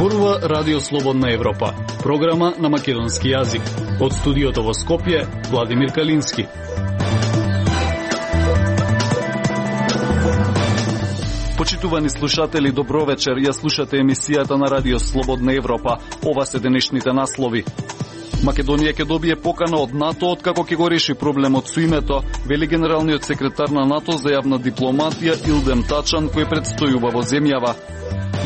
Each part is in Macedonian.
Зборува Радио Слободна Европа, програма на македонски јазик. Од студиото во Скопје, Владимир Калински. Почитувани слушатели, добро вечер. Ја слушате емисијата на Радио Слободна Европа. Ова се денешните наслови. Македонија ќе добие покана од НАТО откако ќе го реши проблемот со името, вели генералниот секретар на НАТО за јавна дипломатија Илдем Тачан, кој предстојува во земјава.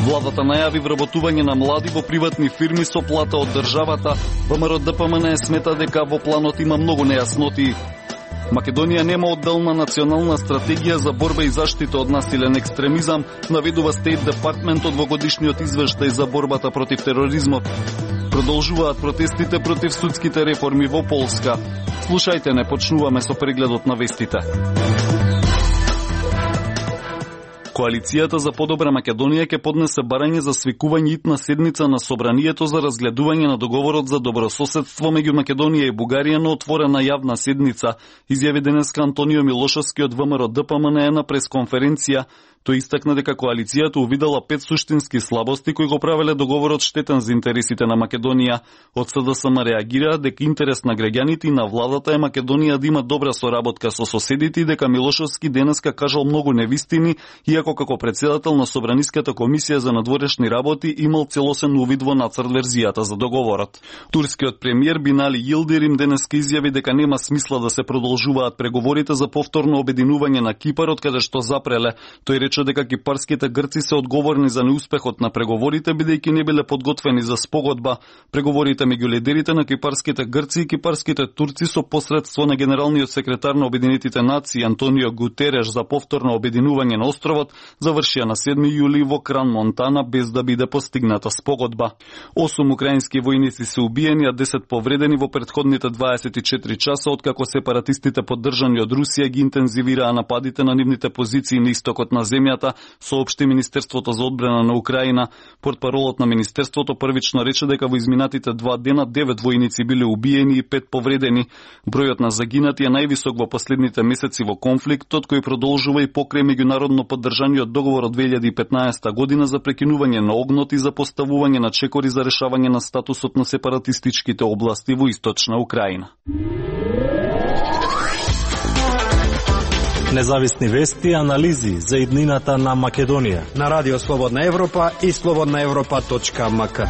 Владата најави вработување на млади во приватни фирми со плата од државата. ВМРО ДПМН смета дека во планот има многу нејасноти. Македонија нема одделна национална стратегија за борба и заштита од насилен екстремизам, наведува State Department во годишниот извештај за борбата против тероризмот. Продолжуваат протестите против судските реформи во Полска. Слушајте, не почнуваме со прегледот на вестите. Коалицијата за подобра Македонија ќе поднесе барање за свикување итна седница на Собранието за разгледување на договорот за добрососедство меѓу Македонија и Бугарија на отворена јавна седница, изјави денеска Антонио Милошевски од ВМРО ДПМН на пресконференција. Тој истакна дека коалицијата увидела 5 суштински слабости кои го правеле договорот штетен за интересите на Македонија. Од СДСМ реагираа дека интерес на граѓаните и на владата е Македонија да има добра соработка со соседите и дека Милошевски денеска кажал многу невистини, иако како председател на Собраниската комисија за надворешни работи имал целосен увид во нацрт верзијата за договорот. Турскиот премиер Бинали Йилдирим денеска изјави дека нема смисла да се продолжуваат преговорите за повторно обединување на Кипар од каде што запреле. Тој рече дека кипарските грци се одговорни за неуспехот на преговорите, бидејќи не биле подготвени за спогодба. Преговорите меѓу лидерите на кипарските грци и кипарските турци со посредство на генералниот секретар на Обединетите нации Антонио Гутереш за повторно обединување на островот завршија на 7 јули во Кран Монтана без да биде постигната спогодба. 8 украински војници се убиени, а 10 повредени во претходните 24 часа откако сепаратистите поддржани од Русија ги интензивираа нападите на нивните позиции на истокот на земјата, соопшти Министерството за одбрана на Украина. Портпаролот на Министерството првично рече дека во изминатите 2 дена 9 војници биле убиени и 5 повредени. Бројот на загинати е највисок во последните месеци во конфликтот, кој продолжува и покрај меѓународно поддржаниот договор од 2015 година за прекинување на огнот и за поставување на чекори за решавање на статусот на сепаратистичките области во источна Украина. Независни вести и анализи за иднината на Македонија на Радио Слободна Европа и slobodnaevropa.mk.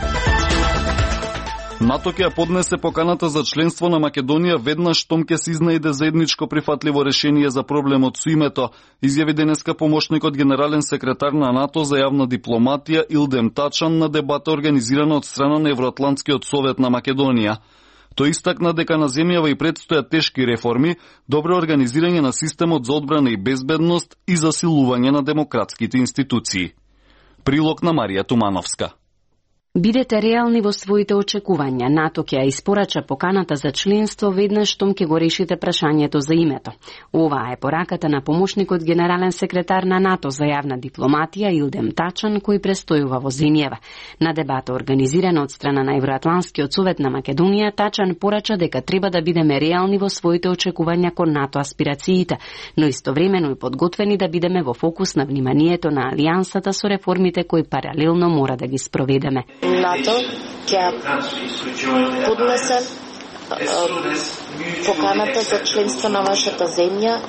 НАТО ќе поднесе поканата за членство на Македонија веднаш штом ќе се изнајде заедничко прифатливо решение за проблемот со името, изјави денеска помошникот генерален секретар на НАТО за јавна дипломатија Илдем Тачан на дебата организирана од страна на Евроатлантскиот совет на Македонија. Тој истакна дека на земјава и предстојат тешки реформи, добро организирање на системот за одбрана и безбедност и засилување на демократските институции. Прилог на Марија Тумановска. Бидете реални во своите очекувања. НАТО ќе ја испорача поканата за членство веднаш штом ќе го решите прашањето за името. Оваа е пораката на помошникот генерален секретар на НАТО за јавна дипломатија Илдем Тачан, кој престојува во земјава. На дебата организирана од страна на Евроатлантскиот совет на Македонија, Тачан порача дека треба да бидеме реални во своите очекувања кон НАТО аспирациите, но истовремено и подготвени да бидеме во фокус на вниманието на алијансата со реформите кои паралелно мора да ги спроведеме. НАТО ќе поднесе поканата за членство на вашата земја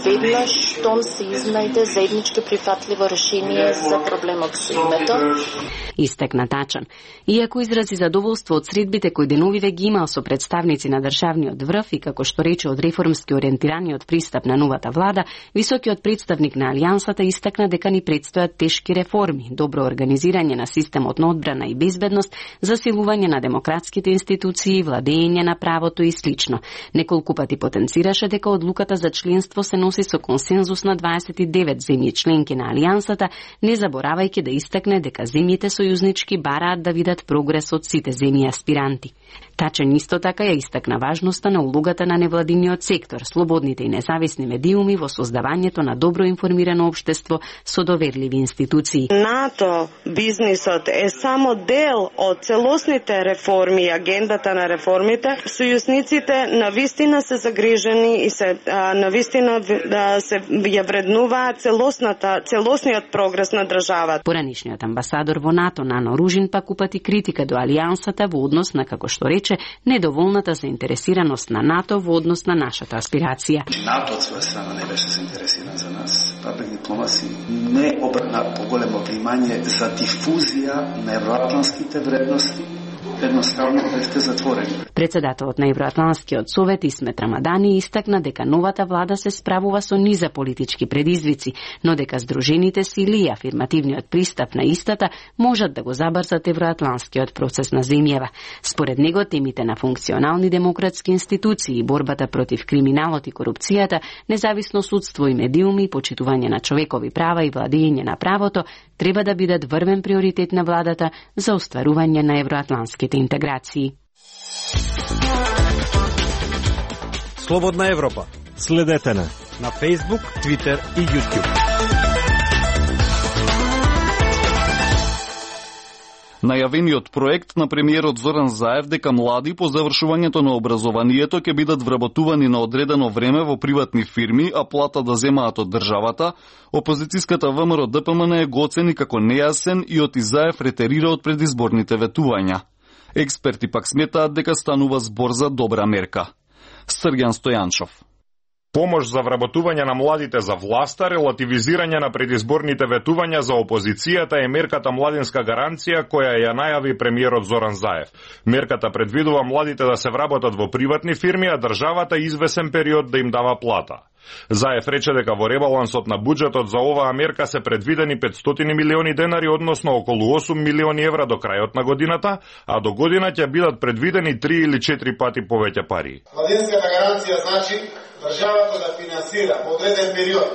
веднаш штом се изнајде заеднички прифатливо решение за проблемот со името. Истекна Тачан. Иако изрази задоволство од средбите кои деновиве ги имал со представници на државниот врв и како што рече од реформски ориентираниот пристап на новата влада, високиот представник на алијансата истакна дека ни предстојат тешки реформи, добро организирање на системот на одбрана и безбедност, засилување на демократските институции, владење на правото и слично. Неколку пати потенцираше дека одлуката за членство се носи со консензус на 29 земји членки на алијансата, не заборавајќи да истакне дека земјите сојузнички бараат да видат прогрес од сите земји аспиранти. Тачен исто така ја истакна важноста на улогата на невладиниот сектор, слободните и независни медиуми во создавањето на добро информирано општество со доверливи институции. НАТО бизнисот е само дел од целосните реформи и агендата на реформите. Сојузниците навистина се загрижени и се навистина се ја вреднуваат целосниот прогрес на државата. Поранишниот амбасадор во НАТО Нано Ружин пак упати критика до алијансата во однос на, како што рече, недоволната заинтересираност на НАТО во однос на нашата аспирација. НАТО од своја страна не беше заинтересиран за нас. Паблик дипломаси не обрна поголемо внимание за дифузија на евроатлантските вредности. Едноставно бевте затворени. Председателот на Евроатлантскиот совет Исмет Рамадани истакна дека новата влада се справува со низа политички предизвици, но дека здружените сили и афирмативниот пристап на истата можат да го забрзат евроатлантскиот процес на земјава. Според него темите на функционални демократски институции, борбата против криминалот и корупцијата, независно судство и медиуми, почитување на човекови права и владење на правото треба да бидат врвен приоритет на владата за остварување на евроатлантските интеграции. Слободна Европа. Следете на Facebook, Twitter и YouTube. Најавениот проект на премиерот Зоран Заев дека млади по завршувањето на образованието ќе бидат вработувани на одредено време во приватни фирми, а плата да земаат од државата, опозицијската ВМРО ДПМН го оцени како нејасен и оти Заев ретерира од предизборните ветувања. Експерти пак сметаат дека станува збор за добра мерка. Срѓан Стојанчов. Помош за вработување на младите за власта, релативизирање на предизборните ветувања за опозицијата е мерката Младинска гаранција која ја најави премиерот Зоран Заев. Мерката предвидува младите да се вработат во приватни фирми, а државата извесен период да им дава плата. Заев рече дека во ребалансот на буџетот за оваа мерка се предвидени 500 милиони денари, односно околу 8 милиони евра до крајот на годината, а до година ќе бидат предвидени 3 или 4 пати повеќе пари. Младинската гаранција значи државата да финансира во одреден период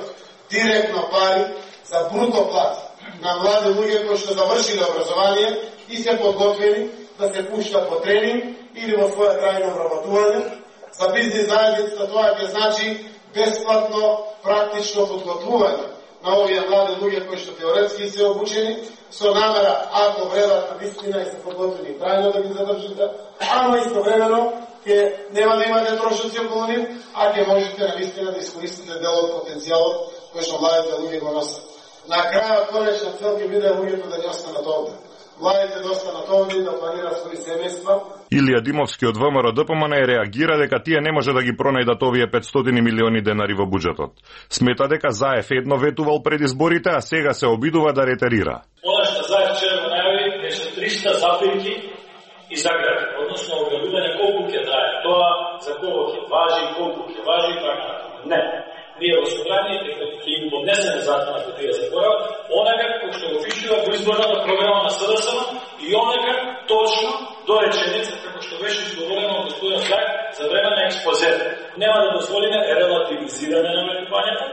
директно пари за бруто плати на млади луѓе кои што завршиле образование и се подготвени да се пуштат во тренинг или во своја трајно вработување. За бизнис заедницата тоа ќе значи бесплатно практично подготвување на овие млади луѓе кои што теоретски се обучени со намера, ако вредат на вистина и се подготвени трајно да ги задржите, ама истовремено ќе нема да имате трошоци околу нив, а ќе можете на вистина да искористите дел од потенцијалот кој што младите луѓе го носат. На крајот конечна цел ќе биде луѓето да не останат овде. Младите да останат овде и да планираат своји семејства. Илија Димовски од ВМРО ДПМН реагира дека тие не може да ги пронајдат овие 500 милиони денари во буџетот. Смета дека Заев едно ветувал пред изборите, а сега се обидува да ретерира. Она што Заев вчера го најави беше 300 запирки и загради, односно објавување колку ќе трае тоа, за кого ќе важи, колку ќе важи и така. Не. Ние во собрание ќе им поднесеме закона кој тие се порав, онака кој што го пишува во изборната програма на СДСМ и онака точно до реченица како што беше изговорено од господин Заев за време на експозето. Нема да дозволиме релативизирање на ветувањата,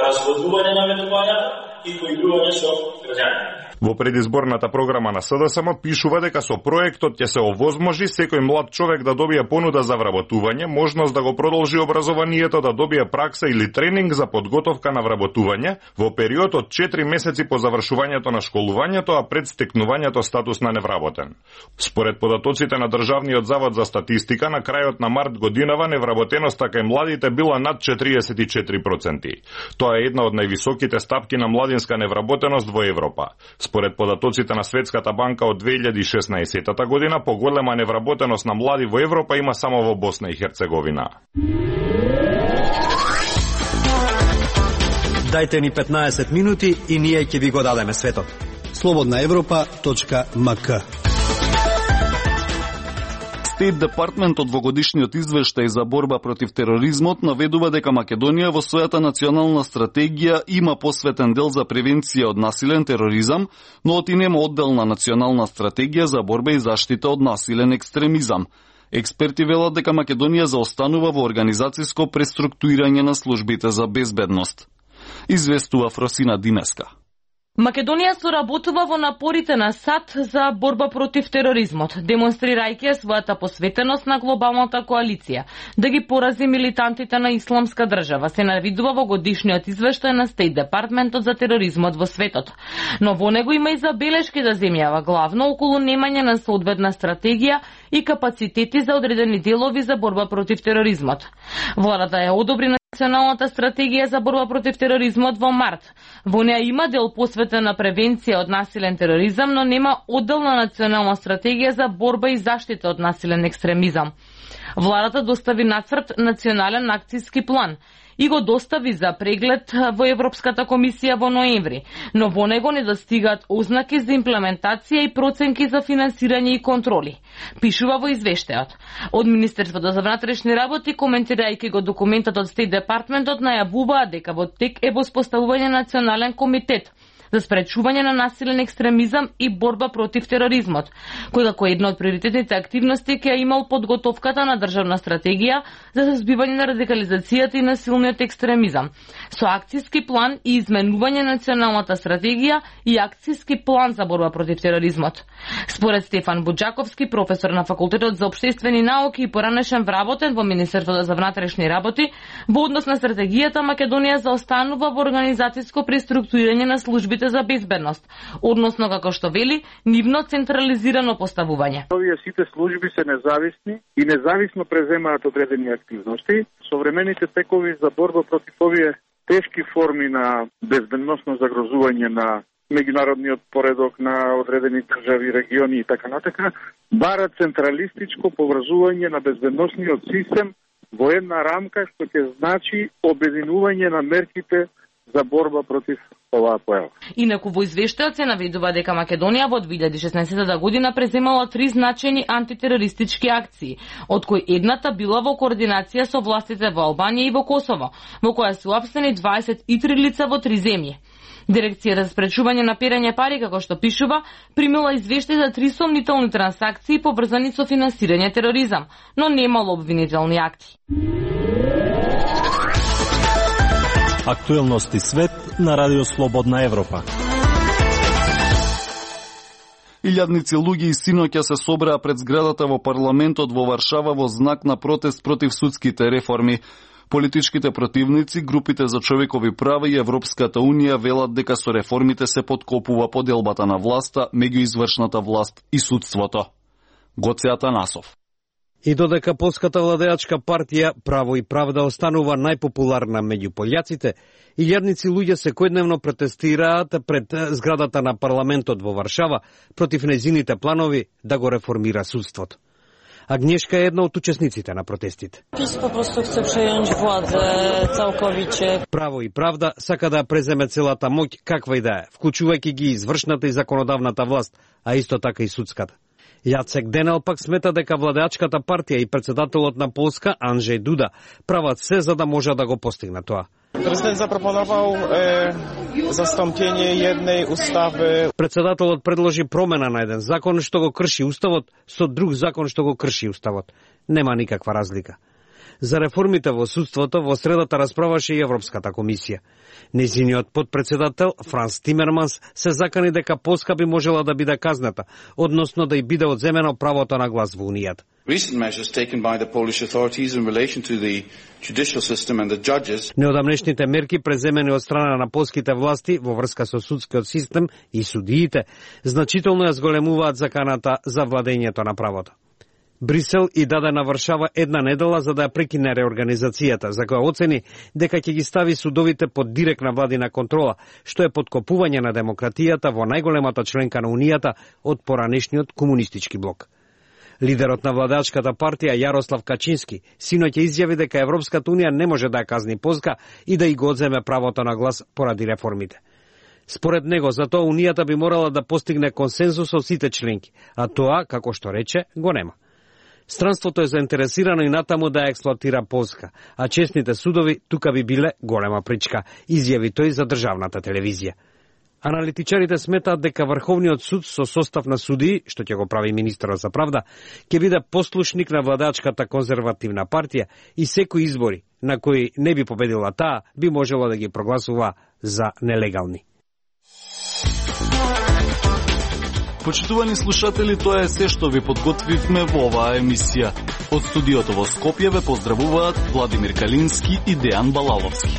разводување на ветувањата и поигрување со граѓаните. Во предизборната програма на СДСМ пишува дека со проектот ќе се овозможи секој млад човек да добие понуда за вработување, можност да го продолжи образованието, да добие пракса или тренинг за подготовка на вработување во период од 4 месеци по завршувањето на школувањето, а пред стекнувањето статус на невработен. Според податоците на Државниот завод за статистика, на крајот на март годинава невработеноста кај младите била над 44%. Тоа е една од највисоките стапки на младинска невработеност во Европа. Според податоците на Светската банка од 2016 година, поголема невработеност на млади во Европа има само во Босна и Херцеговина. Дајте ни 15 минути и ние ќе ви го дадеме светот. slobodnaevropa.mk Стейт Департментот во годишниот извештај за борба против тероризмот наведува дека Македонија во својата национална стратегија има посветен дел за превенција од насилен тероризам, но оти нема одделна национална стратегија за борба и заштита од насилен екстремизам. Експерти велат дека Македонија заостанува во организацијско преструктурирање на службите за безбедност. Известува Фросина Димеска. Македонија соработува во напорите на САД за борба против тероризмот, демонстрирајќи својата посветеност на глобалната коалиција да ги порази милитантите на Исламска држава, се навидува во годишниот извештај на Стейт Департментот за тероризмот во светот. Но во него има и забелешки за земјава, главно околу немање на соодветна стратегија и капацитети за одредени делови за борба против тероризмот. Владата ја одобри Националната стратегија за борба против тероризмот во март. Во неа има дел посветен на превенција од насилен тероризам, но нема одделна национална стратегија за борба и заштита од насилен екстремизам. Владата достави нацрт национален акцијски план и го достави за преглед во Европската комисија во ноември, но во него не достигаат ознаки за имплементација и проценки за финансирање и контроли. Пишува во извештајот. Од Министерството за внатрешни работи, коментирајќи го документот од Стейт Департментот, најавуваа дека во тек е воспоставување национален комитет за спречување на насилен екстремизам и борба против тероризмот, кој како една од приоритетните активности ќе имал подготовката на државна стратегија за сузбивање на радикализацијата и насилниот екстремизам, со акцијски план и изменување на националната стратегија и акцијски план за борба против тероризмот. Според Стефан Буџаковски, професор на Факултетот за општествени науки и поранешен вработен во Министерството за внатрешни работи, во однос на стратегијата Македонија заостанува во организацијско преструктурирање на службите за безбедност, односно, како што вели, нивно централизирано поставување. Овие сите служби се независни и независно преземаат одредени активности. Современите текови за борба против овие тешки форми на безбедносно загрозување на меѓународниот поредок на одредени држави, региони и така натака, барат централистичко поврзување на безбедносниот систем во една рамка што ќе значи обединување на мерките за борба против оваа појава. Инаку во извештајот се наведува дека Македонија во 2016 година преземала 3 значајни антитерористички акции, од кои едната била во координација со властите во Албанија и во Косово, во која се уапсени 23 лица во 3 земји. Дирекцијата за спречување на перење пари, како што пишува, примила извештај за 3 сомнителни трансакции поврзани со финансирање тероризам, но немало обвинителни акти. Актуелности свет на Радио Слободна Европа. Илјадници луѓе и синоќа се собраа пред зградата во парламентот во Варшава во знак на протест против судските реформи. Политичките противници, групите за човекови права и Европската Унија велат дека со реформите се подкопува поделбата на власта меѓу извршната власт и судството. Гоце Атанасов. И додека полската владеачка партија Право и правда останува најпопуларна меѓу пољаците, илјадници луѓе секојдневно протестираат пред зградата на парламентот во Варшава против нејзините планови да го реформира судството. Агнешка е една од учесниците на протестите. ПИС попросту хце прејањ владе цалковиче. Право и правда сака да преземе целата моќ каква и да е, вклучувајќи ги извршната и законодавната власт, а исто така и судската. Јацек Денел пак смета дека владеачката партија и председателот на Полска Анджеј Дуда прават се за да може да го постигне тоа. Президент запропоновал застампење еднеј устави. Председателот предложи промена на еден закон што го крши уставот со друг закон што го крши уставот. Нема никаква разлика. За реформите во судството во средата расправаше и Европската комисија. Нејзиниот подпредседател Франс Тимерманс се закани дека Полска би можела да биде казната, односно да й биде одземено правото на глас во Унијата. Неодамнешните мерки преземени од страна на полските власти во врска со судскиот систем и судиите значително ја зголемуваат заканата за владењето на правото. Брисел и даде на Варшава една недела за да ја прекине реорганизацијата, за која оцени дека ќе ги стави судовите под директна владина контрола, што е подкопување на демократијата во најголемата членка на Унијата од поранешниот комунистички блок. Лидерот на владеачката партија Јарослав Качински синоќа изјави дека Европската Унија не може да ја казни Полска и да ја го одземе правото на глас поради реформите. Според него, за тоа Унијата би морала да постигне консензус од сите членки, а тоа, како што рече, го нема. Странството е заинтересирано и натаму да ја експлоатира Полска, а честните судови тука би биле голема причка, изјави тој за државната телевизија. Аналитичарите сметаат дека Врховниот суд со состав на судии, што ќе го прави министерот за правда, ќе биде послушник на владачката конзервативна партија и секои избори на кои не би победила таа, би можело да ги прогласува за нелегални. Почитувани слушатели, тоа е се што ви подготвивме во оваа емисија. Од студиото во Скопје ве поздравуваат Владимир Калински и Дејан Балаловски.